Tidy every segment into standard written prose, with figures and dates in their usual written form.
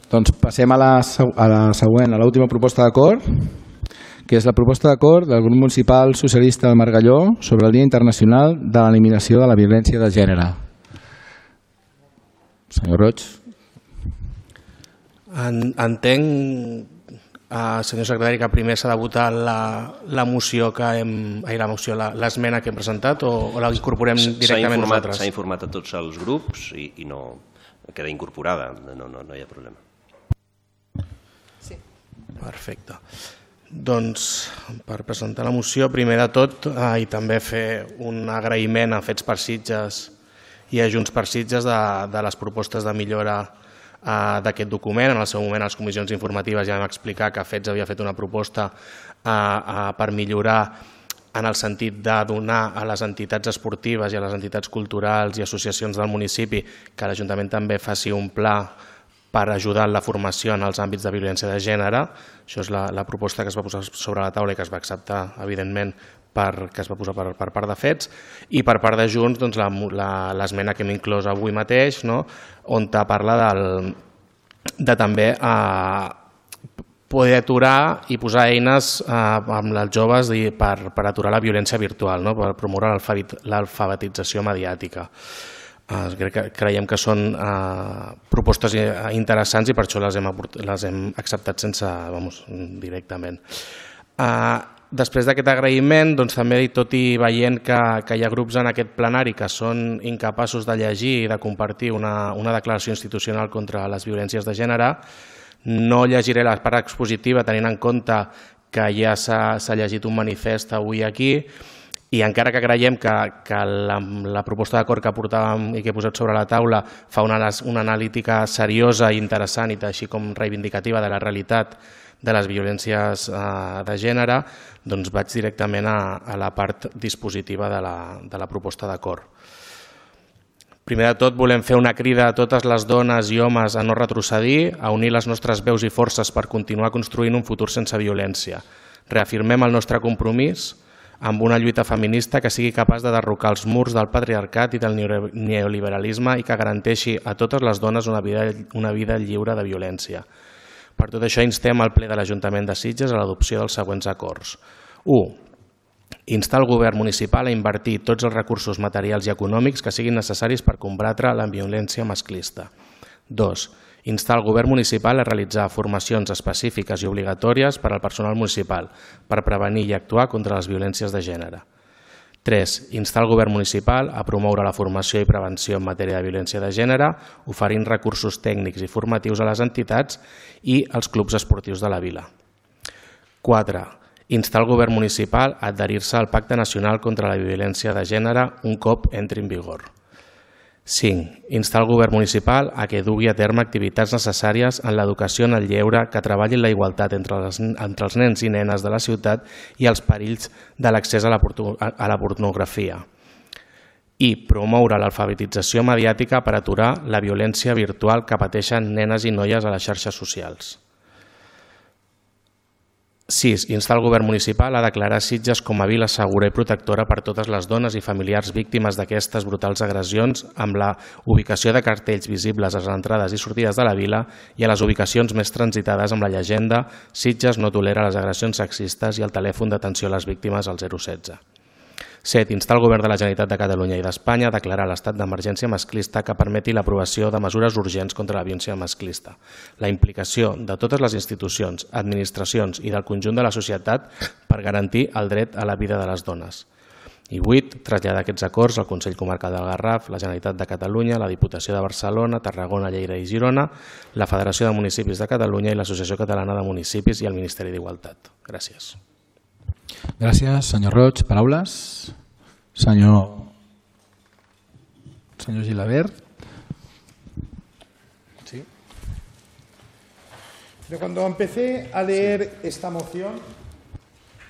Doncs passem a la següent, a l'última proposta d'acord, que és la proposta d'acord del grup municipal socialista del Margalló sobre el Dia Internacional de l'Eliminació de la Violència de Gènere. Senyor Roig. Entenc, senyor secretari, que primer s'ha de votar l'esmena que hem presentat o la incorporem directament nosaltres? S'ha informat a tots els grups i no queda incorporada, no hi ha problema. Sí. Perfecte. Doncs per presentar la moció, primer de tot, i també fer un agraïment a Fets per Sitges i a Junts per Sitges de les propostes de millora d'aquest document. En el seu moment, a les comissions informatives ja vam explicar que Fets havia fet una proposta per millorar en el sentit de donar a les entitats esportives i a les entitats culturals i associacions del municipi que l'Ajuntament també faci un pla per ajudar en la formació en els àmbits de violència de gènere. Això és la proposta que es va posar sobre la taula i que es va acceptar, evidentment, que es va posar per part de Fets, i per part de Junts l'esmena que hem inclòs avui mateix, on parla de també poder aturar i posar eines amb els joves per aturar la violència virtual, per promoure l'alfabetització mediàtica. Creiem que són propostes interessants i per això les hem acceptat directament. Després d'aquest agraïment, també, tot i veient que hi ha grups en aquest plenari que són incapaços de llegir i de compartir una declaració institucional contra les violències de gènere, no llegiré la part expositiva tenint en compte que ja s'ha llegit un manifest avui aquí, i encara que creiem que la proposta d'acord que portàvem i que he posat sobre la taula fa una analítica seriosa i interessant i així com reivindicativa de la realitat de les violències de gènere, doncs vaig directament a la part dispositiva de la proposta d'acord. Primer de tot, volem fer una crida a totes les dones i homes a no retrocedir, a unir les nostres veus i forces per continuar construint un futur sense violència. Reafirmem el nostre compromís amb una lluita feminista que sigui capaç de derrocar els murs del patriarcat i del neoliberalisme i que garanteixi a totes les dones una vida lliure de violència. Per tot això, instem al ple de l'Ajuntament de Sitges a l'adopció dels següents acords. 1. Instar el govern municipal a invertir tots els recursos materials i econòmics que siguin necessaris per combatre la violència masclista. 2. Instar el govern municipal a realitzar formacions específiques i obligatòries per al personal municipal per prevenir i actuar contra les violències de gènere. 3. Instar el govern municipal a promoure la formació i prevenció en matèria de violència de gènere, oferint recursos tècnics i formatius a les entitats i als clubs esportius de la vila. 4. Instar el govern municipal a adherir-se al Pacte Nacional contra la Violència de Gènere un cop entri en vigor. 5. Instar el govern municipal a que dugui a terme activitats necessàries en l'educació en el lleure que treballin la igualtat entre els nens i nenes de la ciutat i els perills de l'accés a la pornografia. I promoure l'alfabetització mediàtica per aturar la violència virtual que pateixen nenes i noies a les xarxes socials. 6. Instar el govern municipal a declarar Sitges com a vila segura i protectora per totes les dones i familiars víctimes d'aquestes brutals agressions amb la ubicació de cartells visibles a les entrades i sortides de la vila i a les ubicacions més transitades amb la llegenda Sitges no tolera les agressions sexistes i el telèfon d'atenció a les víctimes al 016. 7. Instar el govern de la Generalitat de Catalunya i d'Espanya a declarar l'estat d'emergència masclista que permeti l'aprovació de mesures urgents contra la violència masclista, la implicació de totes les institucions, administracions i del conjunt de la societat per garantir el dret a la vida de les dones. I 8. Traslladar aquests acords al Consell Comarcal del Garraf, la Generalitat de Catalunya, la Diputació de Barcelona, Tarragona, Lleida i Girona, la Federació de Municipis de Catalunya i l'Associació Catalana de Municipis i el Ministeri d'Igualtat. Gràcies. Gràcies, senyor Roig. Paraules? Senyor Gilabert. Sí. Cuando empecé a leer esta moción,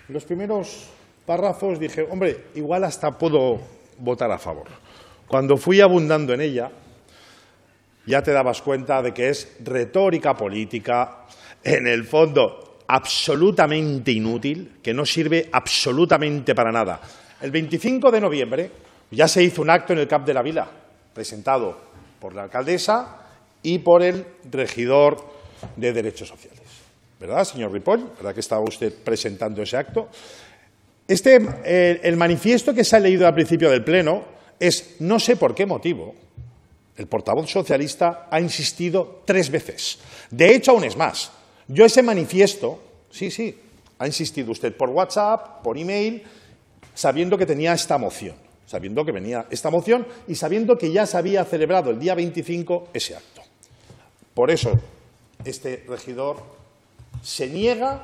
los primeros párrafos dije, hombre, igual hasta puedo votar a favor. Cuando fui abundando en ella, ya te dabas cuenta de que es retórica política, en el fondo absolutamente inútil, que no sirve absolutamente para nada. El 25 de noviembre ya se hizo un acto en el CAP de la Vila, presentado por la alcaldesa y por el regidor de Derechos Sociales. ¿Verdad, señor Ripoll? ¿Verdad que estaba usted presentando ese acto? El manifiesto que se ha leído al principio del Pleno es, no sé por qué motivo, el portavoz socialista ha insistido 3 veces. De hecho, aún es más. Yo ese manifiesto, sí, ha insistido usted por WhatsApp, por email, sabiendo que tenía esta moción, y sabiendo que ya se había celebrado el día 25 ese acto. Por eso, este regidor se niega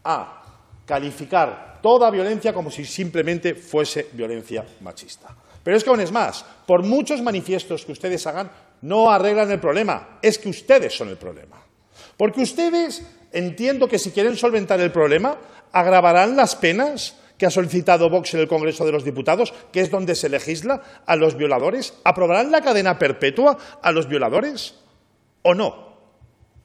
a calificar toda violencia como si simplemente fuese violencia machista. Pero es que aún es más, por muchos manifiestos que ustedes hagan, no arreglan el problema, es que ustedes son el problema. Porque ustedes, entiendo que si quieren solventar el problema, agravarán las penas que ha solicitado Vox en el Congreso de los Diputados, que es donde se legisla a los violadores. ¿Aprobarán la cadena perpetua a los violadores o no?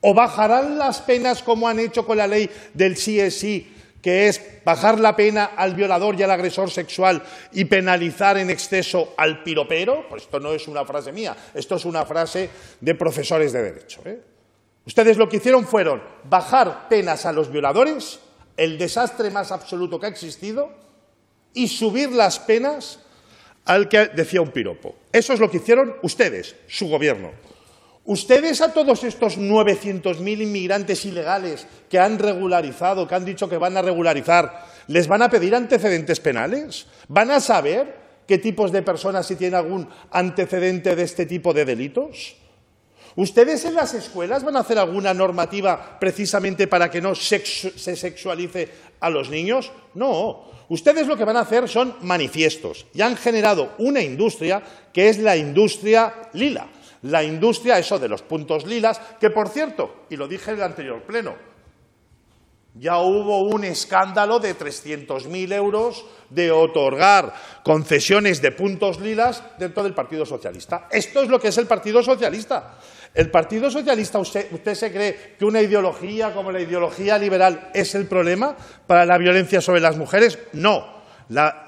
¿O bajarán las penas como han hecho con la ley del sí es sí, que es bajar la pena al violador y al agresor sexual y penalizar en exceso al piropero? Pues esto no es una frase mía, esto es una frase de profesores de Derecho. Ustedes lo que hicieron fueron bajar penas a los violadores, el desastre más absoluto que ha existido, y subir las penas al que decía un piropo. Eso es lo que hicieron ustedes, su gobierno. Ustedes a todos estos 900.000 inmigrantes ilegales que han regularizado, que han dicho que van a regularizar, ¿les van a pedir antecedentes penales? ¿Van a saber qué tipos de personas si tienen algún antecedente de este tipo de delitos? ¿Ustedes en las escuelas van a hacer alguna normativa precisamente para que no se sexualice a los niños? No. Ustedes lo que van a hacer son manifiestos y han generado una industria que es la industria lila. La industria, eso de los puntos lilas, que por cierto, y lo dije en el anterior pleno, ya hubo un escándalo de 300.000 euros de otorgar concesiones de puntos lilas dentro del Partido Socialista. Esto es lo que es el Partido Socialista. ¿El Partido Socialista, usted se cree que una ideología como la ideología liberal es el problema para la violencia sobre las mujeres? No.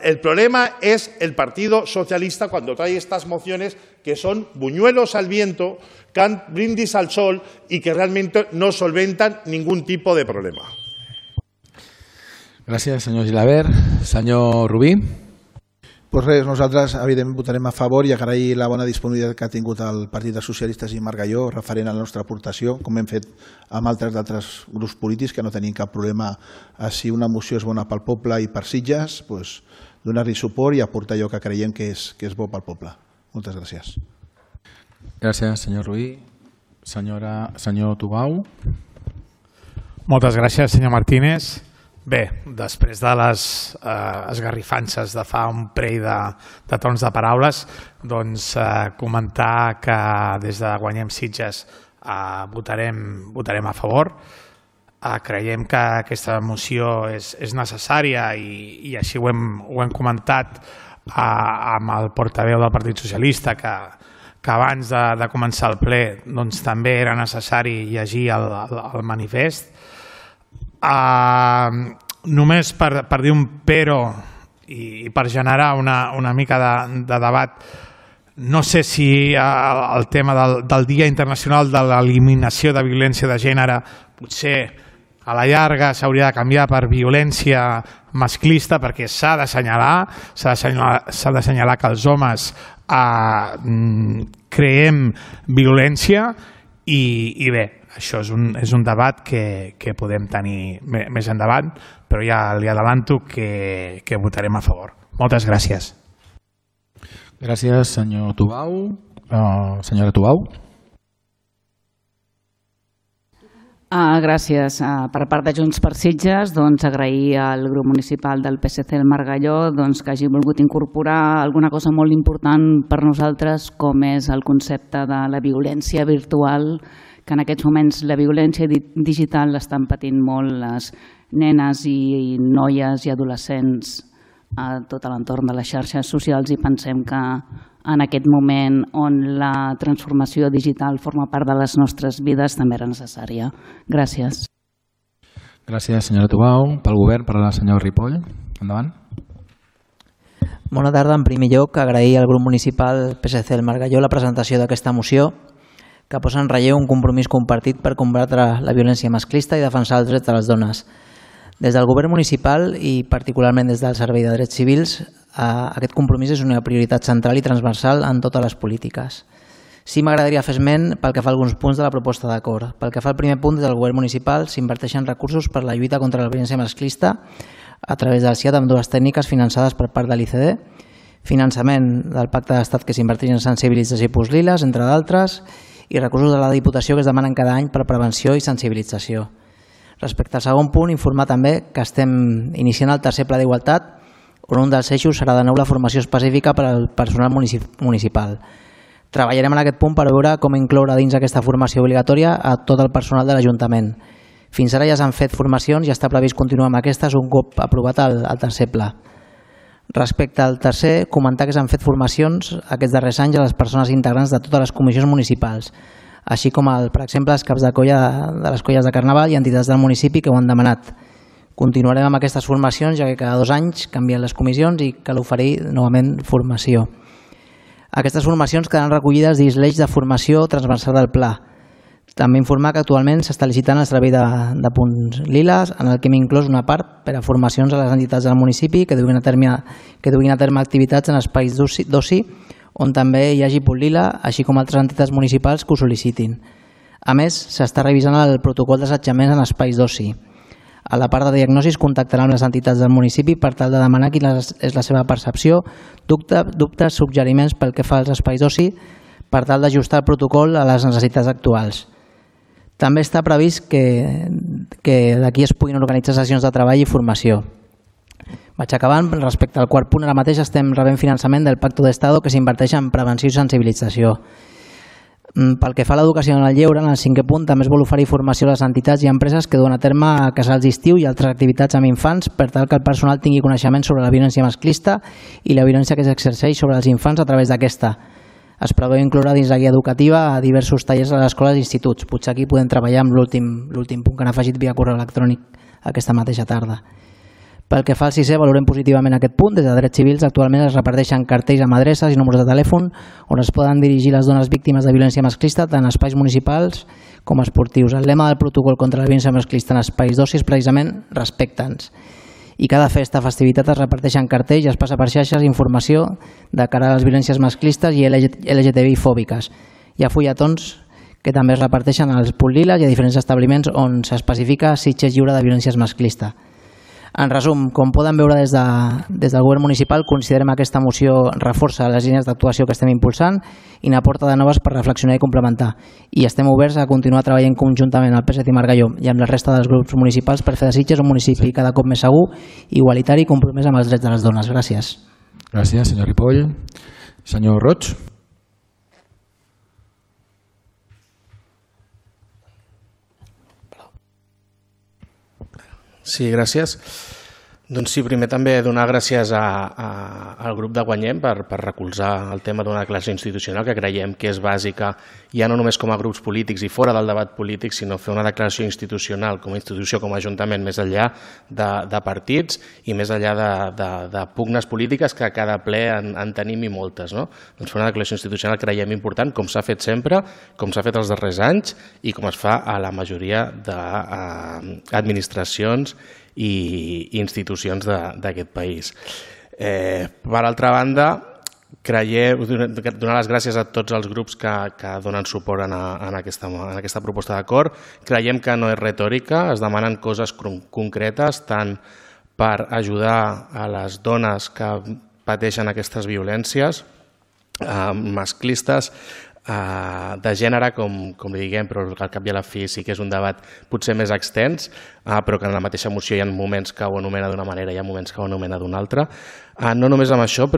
El problema es el Partido Socialista cuando trae estas mociones que son buñuelos al viento, brindis al sol y que realmente no solventan ningún tipo de problema. Gràcies, senyor Gilabert. Senyor Rubí. Pues res, nosaltres evidentment votarem a favor i agrair la bona disponibilitat que ha tingut el Partit dels Socialistes i Margalló referent a la nostra aportació, com hem fet amb d'altres grups polítics que no tenim cap problema a si una moció és bona pel poble i per Sitges, pues, donar-li suport i aportar allò que creiem que és bo pel poble. Moltes gràcies. Gràcies, senyor Rubí. Senyor Tubau. Moltes gràcies, senyor Martínez. Bé, després de les esgarrifances de fa un parell de torns de paraules, doncs comentar que des de Guanyem Sitges votarem a favor. Creiem que aquesta moció és necessària i així ho hem comentat amb el portaveu del Partit Socialista, que abans de començar el ple doncs, també era necessari llegir el manifest. Només per dir un però i per generar una mica de debat, no sé si el tema del Dia Internacional de l'Eliminació de Violència de Gènere potser a la llarga s'hauria de canviar per violència masclista, perquè s'ha d'assenyalar que els homes creem violència i bé, això és un debat que podem tenir més endavant, però ja li adelanto que votarem a favor. Moltes gràcies. Gràcies, senyor Tubau. Senyora Tubau. Gràcies. Per part de Junts per Sitges, agrair al grup municipal del PSC del Margalló que hagi volgut incorporar alguna cosa molt important per nosaltres, com és el concepte de la violència virtual, que en aquests moments la violència digital l'estan patint molt les nenes i noies i adolescents a tot l'entorn de les xarxes socials, i pensem que en aquest moment on la transformació digital forma part de les nostres vides també era necessària. Gràcies. Gràcies, senyora Tubau. Pel govern, parlarà el senyor Ripoll. Endavant. Bona tarda. En primer lloc, agrair al grup municipal PSC del Margalló la presentació d'aquesta moció. que posa en relleu un compromís compartit per combatre la violència masclista i defensar els drets de les dones. Des del govern municipal i particularment des del Servei de Drets Civils, aquest compromís és una prioritat central i transversal en totes les polítiques. Sí, m'agradaria fer esment pel que fa a alguns punts de la proposta d'acord. Pel que fa al primer punt, des del govern municipal s'inverteixen recursos per la lluita contra la violència masclista a través del CIAT amb dues tècniques finançades per part de l'ICD, finançament del Pacte d'Estat que s'inverteix en sensibilització i Pusliles, entre d'altres, i recursos de la Diputació que es demanen cada any per prevenció i sensibilització. Respecte al segon punt, informar també que estem iniciant el tercer pla d'igualtat, on un dels eixos serà de nou la formació específica per al personal municipal. Treballarem en aquest punt per veure com incloure dins aquesta formació obligatòria a tot el personal de l'Ajuntament. Fins ara ja s'han fet formacions i està previst continuar amb aquestes un cop aprovat el tercer pla. Respecte al tercer, comentar que s'han fet formacions aquests darrers anys a les persones integrants de totes les comissions municipals, així com, per exemple, els caps de les colles de Carnaval i entitats del municipi que ho han demanat. Continuarem amb aquestes formacions, ja que cada 2 anys canvien les comissions i cal oferir novament formació. Aquestes formacions quedaran recollides dins l'eix de formació transversal del pla. També informar que actualment s'està licitant el servei de punts liles, en el que hem inclòs una part per a formacions a les entitats del municipi que duguin a terme activitats en espais d'oci on també hi hagi punt lila, així com altres entitats municipals que ho sol·licitin. A més, s'està revisant el protocol d'assetjament en espais d'oci. A la part de diagnosis contactarà amb les entitats del municipi per tal de demanar quina és la seva percepció, dubtes, suggeriments pel que fa als espais d'oci, per tal d'ajustar el protocol a les necessitats actuals. També està previst que d'aquí es puguin organitzar sessions de treball i formació. Vaig acabant. Respecte al quart punt, ara mateix estem rebent finançament del Pacto d'Estado que s'inverteix en prevenció i sensibilització. Pel que fa a l'educació en el lleure, en el 5è punt també es vol oferir formació a les entitats i empreses que duen a terme casals d'estiu i altres activitats amb infants per tal que el personal tingui coneixement sobre la violència masclista i la violència que s'exerceix sobre els infants a través d'aquesta. Es preveu incloure dins la guia educativa a diversos tallers a les escoles i instituts. Potser aquí podem treballar amb l'últim punt que han afegit via correu electrònic aquesta mateixa tarda. Pel que fa al 6è, valorem positivament aquest punt. Des de Drets Civils actualment es reparteixen cartells amb adreces i números de telèfon on es poden dirigir les dones víctimes de violència masclista tant a espais municipals com esportius. El lema del protocol contra la violència masclista en espais d'oci és precisament respecta'ns. I cada festa, festivitat es reparteixen cartells i es passa per xarxes informació de cara a les violències masclistes i LGTBI fòbiques. Hi ha fulletons que també es reparteixen als punts liles i a diferents establiments on s'especifica Sitges lliure de violències masclista. En resum, com poden veure des del govern municipal, considerem que aquesta moció reforça les línies d'actuació que estem impulsant i n'aporta de noves per reflexionar i complementar. I estem oberts a continuar treballant conjuntament al PSC i Margalló i amb la resta dels grups municipals per fer de Sitges un municipi cada cop més segur, igualitari i compromès amb els drets de les dones. Gràcies. Gràcies, senyor Ripoll. Senyor Roig. Sí, gràcies. Doncs sí, primer també donar gràcies al grup de Guanyem per recolzar el tema d'una declaració institucional que creiem que és bàsica, ja no només com a grups polítics i fora del debat polític, sinó fer una declaració institucional com a institució, com a ajuntament, més enllà de partits i més enllà de pugnes polítiques que a cada ple en tenim i moltes. Doncs fer una declaració institucional creiem important, com s'ha fet sempre, com s'ha fet els darrers anys i com es fa a la majoria d'administracions i institucions d'aquest país. Per altra banda, donar les gràcies a tots els grups que donen suport en aquesta proposta d'acord. Creiem que no és retòrica, es demanen coses concretes tant per ajudar a les dones que pateixen aquestes violències masclistes, de gènere, com li diguem, però al cap i a la fi sí que és un debat potser més extens, però que en la mateixa moció hi ha moments que ho anomena d'una manera i hi ha moments que ho anomena d'una altra. No només amb això,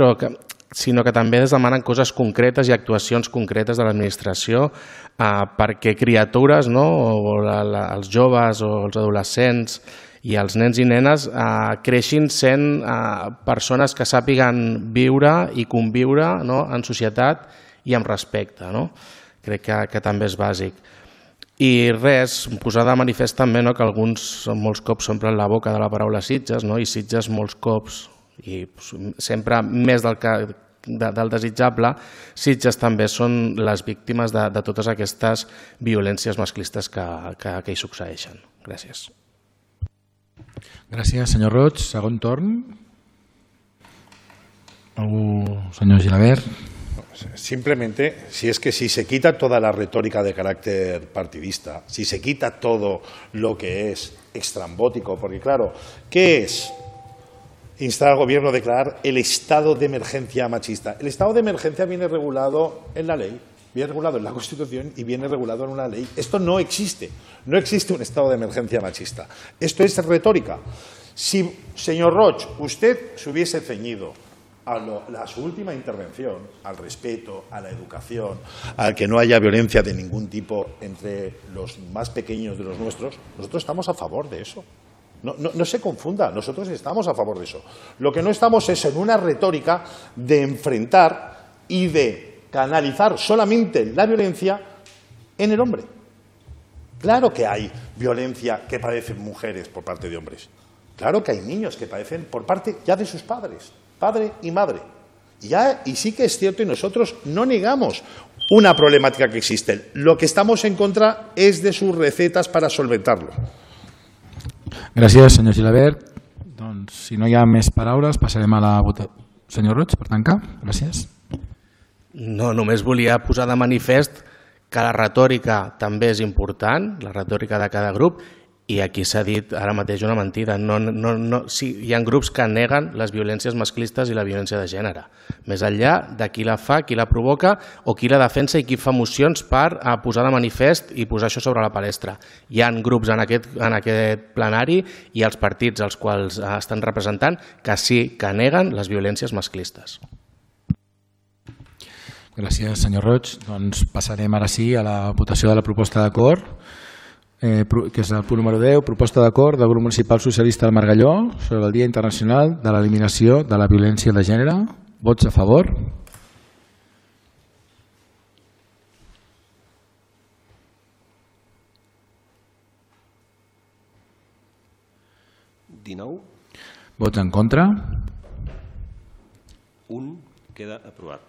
sinó que també es demanen coses concretes i actuacions concretes de l'administració perquè criatures, o els joves o els adolescents i els nens i nenes creixin sent persones que sàpiguen viure i conviure en societat i amb respecte. Crec que també és bàsic. I res, posar de manifest també que alguns molts cops s'omplen la boca de la paraula Sitges, i Sitges molts cops, i sempre més del que del desitjable, Sitges també són les víctimes de totes aquestes violències masclistes que hi succeeixen. Gràcies. Gràcies, senyor Roig. Segon torn. Senyor Gilabert. Simplemente, si se quita toda la retórica de carácter partidista, si se quita todo lo que es extrambótico, porque claro, ¿qué es instar al gobierno a declarar el estado de emergencia machista? El estado de emergencia viene regulado en la ley, viene regulado en la Constitución y viene regulado en una ley. Esto no existe un estado de emergencia machista. Esto es retórica. Si, señor Roig, usted se hubiese ceñido a su última intervención, al respeto, a la educación, a que no haya violencia de ningún tipo entre los más pequeños de los nuestros, nosotros estamos a favor de eso. No se confunda, nosotros estamos a favor de eso. Lo que no estamos es en una retórica de enfrentar y de canalizar solamente la violencia en el hombre. Claro que hay violencia que padecen mujeres por parte de hombres. Claro que hay niños que padecen por parte ya de sus padres. Padre y madre. Y sí que es cierto, y nosotros no negamos una problemática que existe. Lo que estamos en contra es de sus recetas para solventarlo. Gràcies, senyor Gilabert. Doncs, si no hi ha més paraules, passarem a la votació. Senyor Roig, per tancar. Gràcies. No, només volia posar de manifest que la retòrica també és important, la retòrica de cada grup, i aquí s'ha dit ara mateix una mentida. Sí, hi ha grups que neguen les violències masclistes i la violència de gènere. Més enllà de qui la fa, qui la provoca o qui la defensa i qui fa mocions per posar de manifest i posar això sobre la palestra. Hi ha grups en aquest plenari i els partits als quals estan representant que sí que neguen les violències masclistes. Gràcies, senyor Roig. Doncs passarem ara sí a la votació de la proposta d'acord, que és el punt número 10, proposta d'acord del grup municipal socialista del Margalló sobre el Dia Internacional de l'Eliminació de la Violència de Gènere. Vots a favor? Vots en contra? Un queda aprovat.